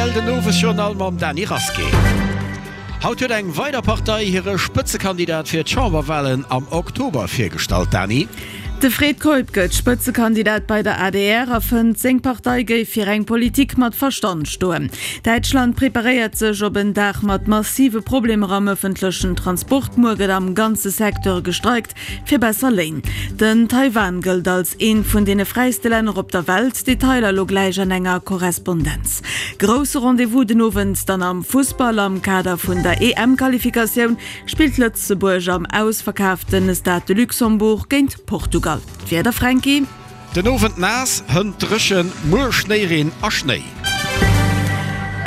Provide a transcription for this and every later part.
Rtl den Owesjournal mam Dany Rasqué. Haut huet eng weider Partei hire Spëtzekandidat fir d'Chamberwalen am Oktober virgestallt. Dany. De Fred Keup gëtt Spëtzekandidat bei der adr a fënnt, seng Partei géif fir eng Politik mat Verstand stoen. Däitschland preparéiert sech op en Dag mat massive Problemer am ëffentlechen Transport. Muer gëtt am ganze Secteur gestreikt fir besser Léin. Den Taiwan gëllt als eent vun deene fräiste Länner op der Welt. Detailer lo gläich an enger Korrespondenz. Grousse Rendez-vous den Owend dann am Fussball. Am Kader vun der EM-Qualifikatioun spillt Lëtzebuerg am ausverkaaften Stade de Luxembourg géint Portugal. D'Wieder, Fränki? Den Owend naass, hënt dréchen, muer Schnéireen a Schnéi.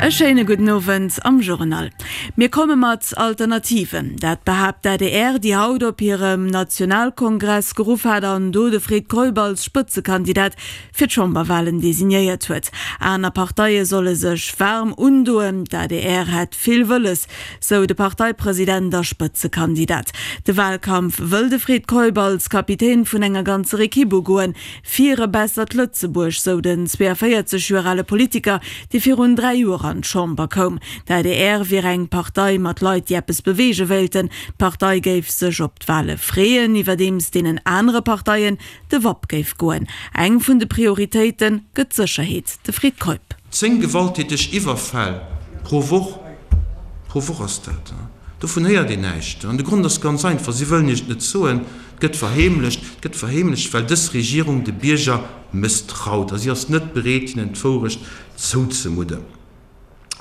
E schéine gudden Owend am Journal. Mir komme mat Alternativen. Dat behaapt d'ADR, déi haut op hirem Nationalkongress geruff hat an do de Fred Keup als Spëtzekandidat fir d'Chamberwalen designéiert huet. Aner Parteie solle sech waarm undoen. D'ADR hätt vill wëlles, sou de Parteipresident a Spëtzekandidat. De Wahlkampf wëll de Fred Keup als Kapitän vun enger ganzer Ekipp ugoen, fir e bessert Lëtzebuerg, sou den 42 Joer ale Politiker, dee virun 3 Joer an d'Chamber koum. D'adr wier eng Partei mat Leit, déi eppes beweege wéilten. D'Partei géif sech op d'Wahle freeën, iwwerdeems deenen anere Parteien de Wapp géif goen. Eng vun de Prioritéite gëtt d'Sécherheet, de Fred Keup. 10 gewalttäteg Iwwerfäll pro Woch, pro Woch ass dat, dovun héiert een näischt. An de Grond ass ganz einfach, Si wëllen Iech et net soen, et gëtt verheemlecht. Et gëtt verheemlecht, well dës Regierung de Bierger mësstraut a si ass net bereet, hinnen d'Wourecht zouzemudden.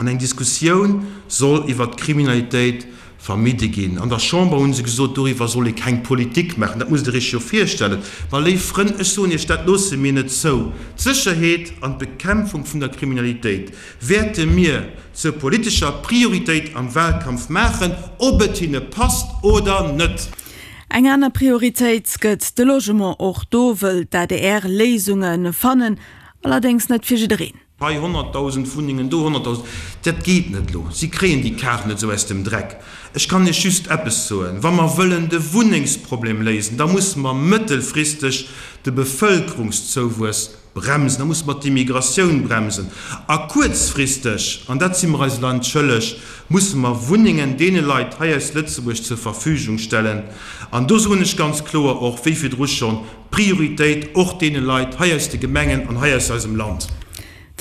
An eng Diskussioun soll iwwert d'Kriminalitéit vermidde ginn. An der Chamber hu se gesot, doriwwer soll ee keng Politik maachen. Dat musst Der Iech jo virstellen. Ma léif Frënn, ech soen Iech, dat loosse mir net zou. D'Sécherheet an d'Bekämpfung vun der Kriminalitéit wäerte mir zur politescher Prioritéit am Wahlkampf maachen, ob et hinne passt oder net. Eng aner Prioritéit gëtt de Logement. Och do wëll d'ADR Léisunge fannen, allerdéngs net fir jiddereen. Hei 100.000 Wunnengen, do 100.000, dat geet net elo. Si kréien déi Kaart net esou aus dem Dreck. Ech kann Iech just eppes soen, Wa mer wëllen de Wunnengsproblem léisen, da musse mer mëttelfristeg de Bevëlkerungszouwuess bremsen, da musse mer d'Immigratioun bremsen. A kuerzfristeg, an dat si mer eise Land schëlleg, musse mer Wunnengen deene Leit hei aus Lëtzebuerg zur Verfügung stellen. An do soen ech ganz kloer och, wéi virdru schonn, Prioritéit och deene Leit hei aus de Gemengen an hei aus eisem Land.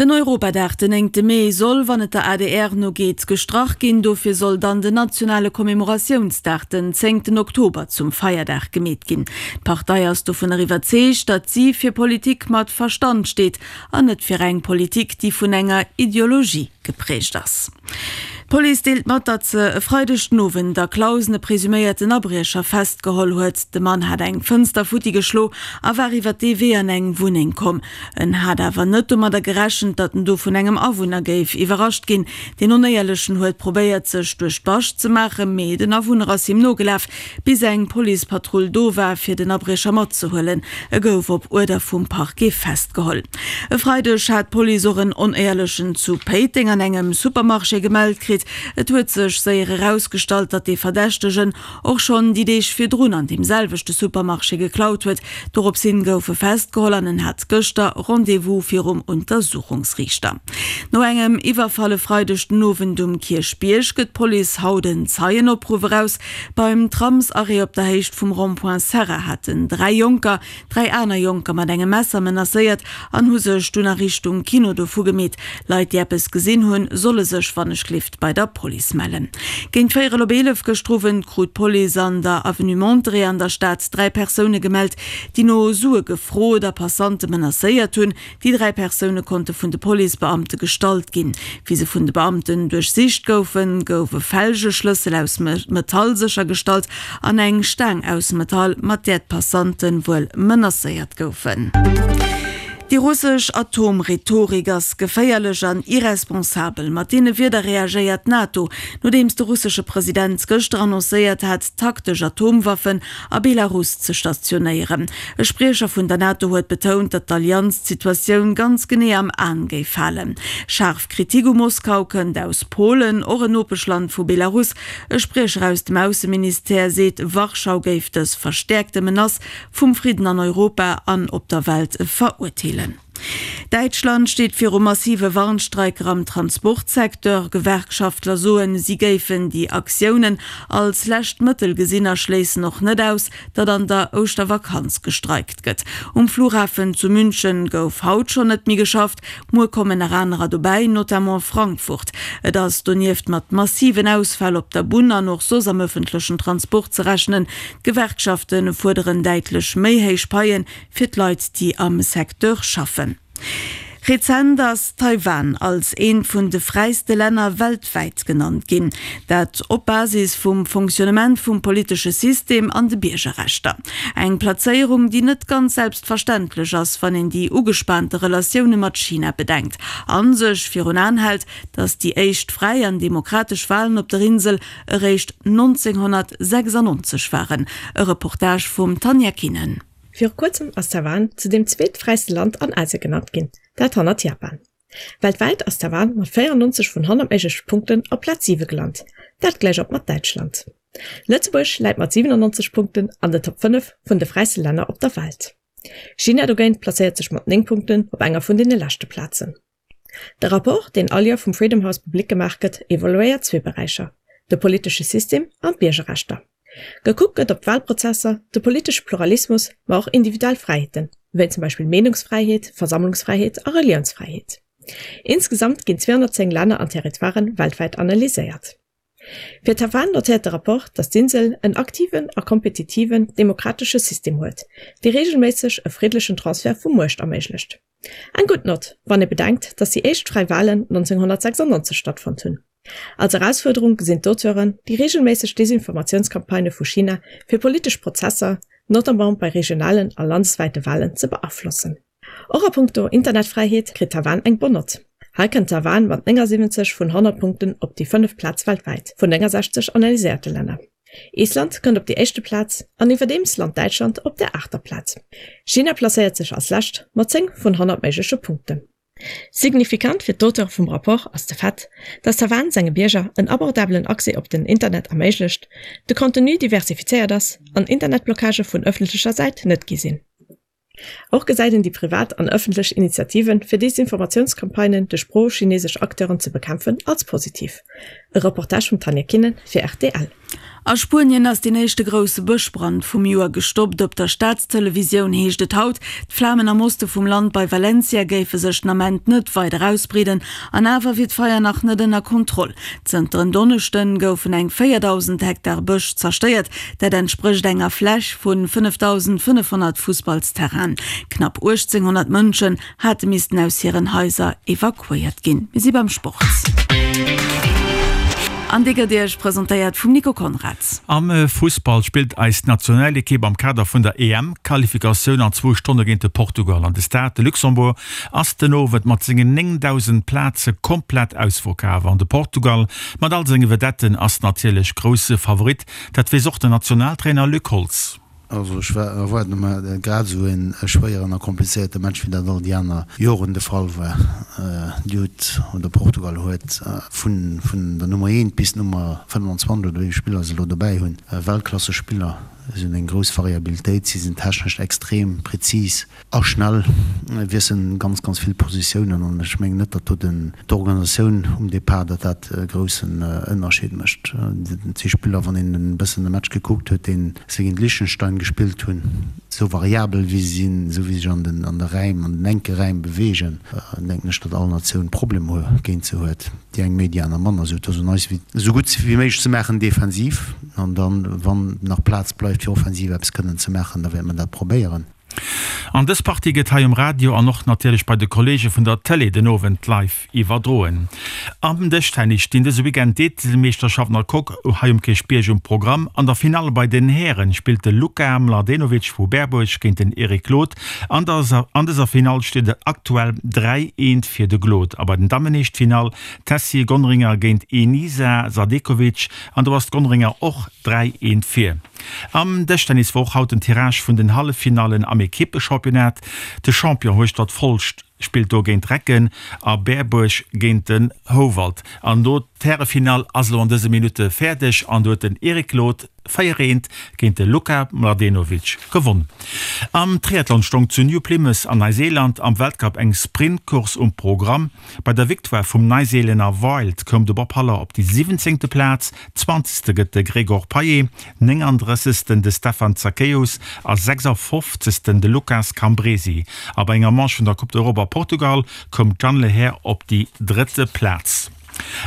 Den Europadag den néngte Mee soll, wann et der adr no geet, gestrach ginn. Dofir soll dann den nationale Commemoratiounsdag den zéngten Oktober zum Feierdag gemeet ginn. D'Partei ass dovunner iwwerzeegt, datt si fir Politik mat Verstand steet an net fir eng Politik, déi vun enger Ideologie geprägt ass. D'Police deelt mat, datt se e Freideg den Owend a Clausen e presuméierten Abriecher festgeholl huet. De Mann hat eng Fënster futti geschlo a war iwwer dee Wee an eng Wunneng komm. En hat awer net domadder gerechent, datt en do vun engem Awunner géif iwwerrascht ginn. Deen Onéierlechen huet probéiert, sech duerch d'Bascht ze maachen, mee den Awunner ass him nogelaf, bis eng Policepatrull do war, fir den Abriecher matzehuelen. E gouf op Uerder vum Parquet festgeholl. E Freideg hat d'Police och en Onéierlechen zu Péiteng an engem Supermarché gemellt kritt. Et huet sech séier erausgestallt, datt dee Verdächtegen och schonn déi Deeg virdrun an deem selwechte Supermarché geklaut huet. Dorops hin gouf e festgeholl an en hat gëschter Rendez-vous virum Untersuchungsriichter. No engem Iwwerfall e Freideg den Owend um Kierchbierg gëtt d'Police haut en Zeienopruff eraus. Beim Tramsarrêt op der Héicht vum Rond-point Serra haten 3 Jonker 3 aner Jonker mat engem Messer menacéiert an hu sech dunn a Richtung Kino dovu gemeet. Leit, déi eppes gesinn hunn, solle sech wannechgelift bei der Police mellen. Géint véierel op 11 gëschter Owend krut d'Police an der Avenue Monterey an der Stad 3 Persoune gemellt, déi no Sue gefrot a Passante menacéiert hunn. Déi 3 Persoune konnte vun de Policebeamte gestallt ginn. Wéi se vun de Beamten duerchsicht goufen, gouf e Felgeschlëssel aus Metall séchergestallt an eng Staang aus Metall, mat där d'Passante wuel menacéiert goufen. Déi russesch Atom-Rhetorik ass geféierlech an irresponsabel. Mat deene Wierder reagéiert d'NATO, nodeems de russesche President gëschter annoncéiert hat, taktesch Atomwaffen a Belarus ze stationéieren. E Spriecher vun der NATO huet betount, datt d'Allianz d'Situatioun ganz genee am An géif halen. Schaarf Kritik u Moskau kënnt aus Polen, och en Nopeschland vu Belarus. E Spriecher aus dem Ausseministère seet, Warschau géif dës verstäerkte Menace vum Fridden an Europa an op der Welt verurteelen. Däitschland steet viru massive Warnstreiker am Transportsecteur. Gewerkschaftler soen, si géifen déi Aktiounen als lescht Mëttel gesinn a schléissen och net aus, datt an der Ouschtervakanz gestreikt gëtt. Um Flughafen zu München gouf haut schonn net méi geschafft, muer kommen nach anerer dobäi, notamment Frankfurt. Et ass donieft mat massiven Ausfäll op der Bunn an och soss am ëffentlechen Transport ze rechnen. D'Gewerkschafte fuerderen däitlech méi héich Paie fir d'Leit, déi am Secteur schaffen. Rezent ass Taiwan als eent vun de fräiste Länner weltwäit genannt ginn. Dat op Basis vum Fonctionnement vum politesche System an de Biergerrechter. Eng Plazéierung, déi net ganz selbstverständlech ass, wann een déi ugespaante Relatioune mat China bedenkt a sech virun Aen hält, datt déi éischt fräi an demokratesch Walen op der Insel eréischt 1996 waren. E Reportage vum Tanja Kinnen. Viru kuerzem ass Taiwan zu deem zweetfräiste Land an Asien genannt ginn, dat hannert Japan. Weltwäit ass Taiwan mat 94 vun 100 méigleche Punkten op Plaz 7 gelant, dat gläich op mat Däitschland. Lëtzebuerg läit mat 97 Punkten an den Top 5 vun de fräiste Länner op der Welt. China dogéint placéiert sech mat 9 Punkten op enger vun deene leschte Plazen. De Rapport, deen all Joer vum Freedom House public gemaach gëtt, evaluéiert zwee Beräicher, de politesche System an d'Biergerrechter. Gekuckt gëtt op d'Walprozesser, de politesche Pluralismus, ma och individuell Fräiheeten, wéi zum Beispill Meenungsfräiheet, Versammlungsfräiheet a Reliounsfräiheet. Insgesamt ginn 210 Länner an Territoiren weltwäit analyséiert. Fir Taiwan notéiert de Rapport, datt d'Insel en aktiven a kompetitiven demokratesche System huet, dee reegelméisseg e friddlechen Transfert vu Muecht erméiglecht. Eng gutt Nott, wann ee bedenkt, datt déi éischt fräi Walen 1996 stattfonnt hunn. Als Erausfuerderung gesinn d'Auteuren déi reegelméisseg Desinformatiounscampagnë vu China fir politesch Prozesser, notamment bei regionalen a landeswäite Walen, ze beaflossen. Och a punkto Internetfräiheet kritt Taiwan eng bonne Nott. Hei kënnt Taiwan mat 79 vun 100 Punkten op déi fënneft Plaz weltwäit vun 69 analyséierte Länner. Island kënnt op déi éischte Plaz an iwwerdeems lant Däitschland op der aachter Plaz. China placéiert sech als lescht mat 10 vun 100 méigleche Punkten. Signifikant fir d'Auteure vum Rapport ass de Fait, datt Taiwan senge Bierger en abordabelen Accès op den Internet erméiglecht, de Contenu diversifizéiert ass an Internetblockagë vun ëffentlecher Säit net gi sinn. Och gesäit een déi privat an ëffentlech Initiativen, fir Desinformatiounscampagnen duerch pro-chinesesch Acteuren ze bekämpfen, als positiv. E Reportage vum Tanja Kinnen fir rtl. A Spuenien ass deen éischte grousse Bëschbrand vum Joer gestoppt. Op der Staatstelevisioun heescht et haut, d'Flamen am Oste vum Land bei Valencia géife sech den Ament net weider ausbreeden. An awer wier d'Feier nach net ënner Kontroll. Zënter en Donneschde goufen eng 4.000 Hektar Bësch zerstéiert. Dat entsprécht enger Fläch vu 5.500 Fussballsterrainen. Knapp 1.800 Mënschen hate missten aus hiren Haiser evakuéiert ginn. Mir si beim Sport. An dee gëtt Iech presentéiert vum Nico Conrads. Am Fussball spillt eis Nationalekipp am Kader vun der EM-Qualifikatioun an zwou Stonne géint de Portugal. An de Stade de Luxembourg ass den Owend mat sengen 9.000 Plaze komplett ausverkaf. An de Portugal mat all senge Vedetten ass natierlech grousse Favorit. Dat weess och den Nationaltrainer Luc Holtz. Also ech erwaarde mer grad esou e schwéieren a komplizéierte Match wéi dat all déi aner Joren de Fall war. Dir hutt, oder Portugal huet vun der Nummer eent bis d'Nummer 25 oder wéi vill Spiller se elo dobäi hunn, Weltklassespiller. Si hunn eng grouss Variabilitéit, si sinn technesch extrem prezis. A schnell wiesselen ganz, ganz vill Positiounen an ech mengen net, datt do den, d'Organisatioun um Depart, datt dat e groussen Ënnerscheed mécht. Et si Spiller, wann een e bëssen de Match gekuckt huet, deen se géint Liechtenstein gespillt hunn, esou variabel wéi se sinn, esou wéi se sech an den, an de Räim, an den enke Räim beweegen, denken ech, datt all Natioun Problemer géint se huet, déi eng méi, déi aner manner. Esou, et ass un eis, esou gutt wéi méiglech ze maachen defensiv an dann, wann nach Plaz bleift fir offensiv eppes kënnen ze maachen, da wäerte mer dat probéieren. An dës Partie gëtt hei um Radio an och natierlech bei de Kolleege vun der Tëlee den Owend live iwwerdroen. Am Dëschtennis stinn dëse Weekend d'Eezelmeeschterschaften a Coque hei um Kierchbierg um Programm. An der Finall bei den Hären spillt de Luka Mladenovic vu Berbuerg géint den Eric Glod. An dëser Finall steet et aktuell 3, 1 fir de Glod. A bei den Dammen heescht d'Finall Tessy Gonringer géint Enisa Sadekovic an do ass d'Gonringer och 3, 1 vir. Am Dëschtennis war och haut den Tirage vun den Halleffinallen am Ekippechampionnat. De Champion Hueschtert Folscht spillt do géint Recken a Berbuerg géint den Houwald. An do. D'Härefinall ass elo an dëse Minutte fäerdeg an do huet den Eric Glod 4 eent géint de Luka Mladenovic gewonn. Am Triathlon stong zu New Plymouth an Neuseeland am Weltcup eng Sprintcourse um Programm. Bei der Victoire vum Neiseelänner Wild koum de Bob Haller op déi siwwenzéngte Plaz, zwanzegste gëtt de Gregor Payet, néngandrëssegsten de Stefan Zachäus a sechsafofzegsten de Lucas Cambresi. A bei enger Manche vun der Coupe d'Europe a Portugal koum d'Jeanne Lehair op déi drëtte Plaz.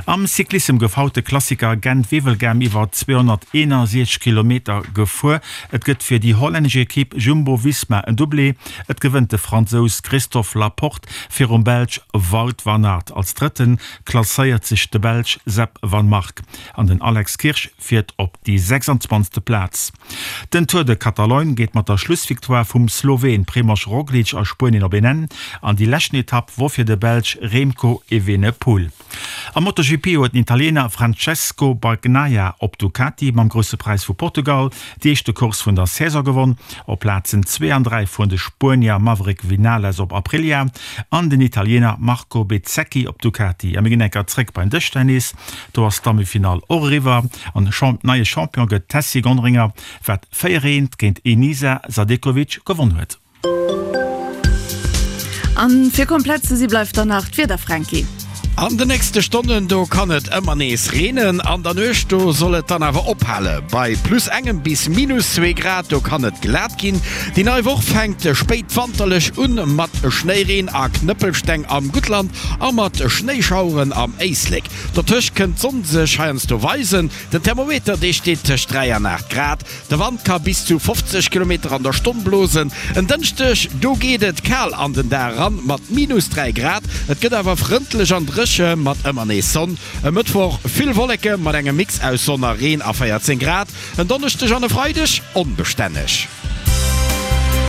Am Cyclissem gouf haut de Klassiker Gent-Wevelgem iwwer 261 Kilometer gefuer. Et gëtt fir déi hollännesch Ekipp Jumbo-Visma en Doublé. Et gewënnt de Fransous Christophe Laporte virum Belsch Wout van Aert. Als Drëtte klasséiert sech de Belsch Sep Vanmarcke an den Alex Kirsch fiert op déi 26. Plaz. Den Tour de Catalogne geet mat der Schlussvictoire vum Sloween Primož Roglič a Spuenien op een Enn an déi leschten Etapp wor fir de Belsch Remco Evenepoel. Am MotoGP huet den Italiener Francesco Bagnaia op Ducati mam Grousse Präis vu Portugal déi éischte Course vun der Saison gewonn. Op Plazen 2 an 3 fueren de Spuenier Maverick Vinales op Aprilia an den Italiener Marco Bezzecchi op Ducati. A mir ginn eng Kéier zréck beim Dëschtennis. Do ass d'Dammefinall och eriwwer an neie Champion gëtt d'Tessy Gonderinger, wat 4 eent géint Enisa Sadekovic gewonn huet. An fir komplett ze si bleift dann nach d'Wieder, Franky. An de nächste Stonnen do kann et ëmmer nees reenen, an der Nuecht do soll et dann awer ophale. Bei plus engem bis minus zwee Grad do kann et glat ginn. Déi nei Woch fänkt spéitwanterlech un mat Schnéireen a Knëppelsteng am Guttland a mat Schnéischaueren am Éislek. Dotëscht kënnt d'Sonn sech heiansdo weisen. Den Thermometer dee steet tëscht 3 an 8 Grad. De Wand ka bis zu 50 Kilometer an der Stonn blosen. En Dënschdeg do geet et kal an den Dag eran mat minus 3 Grad. Et gëtt awer frëndlech an dréche mat ëmmer nees Sonn. E Mëttwoch vill Wolleke mat engem Mix aus Sonn a Reen a 14 Grad. En Donneschdeg an e Freideg onbestänneg.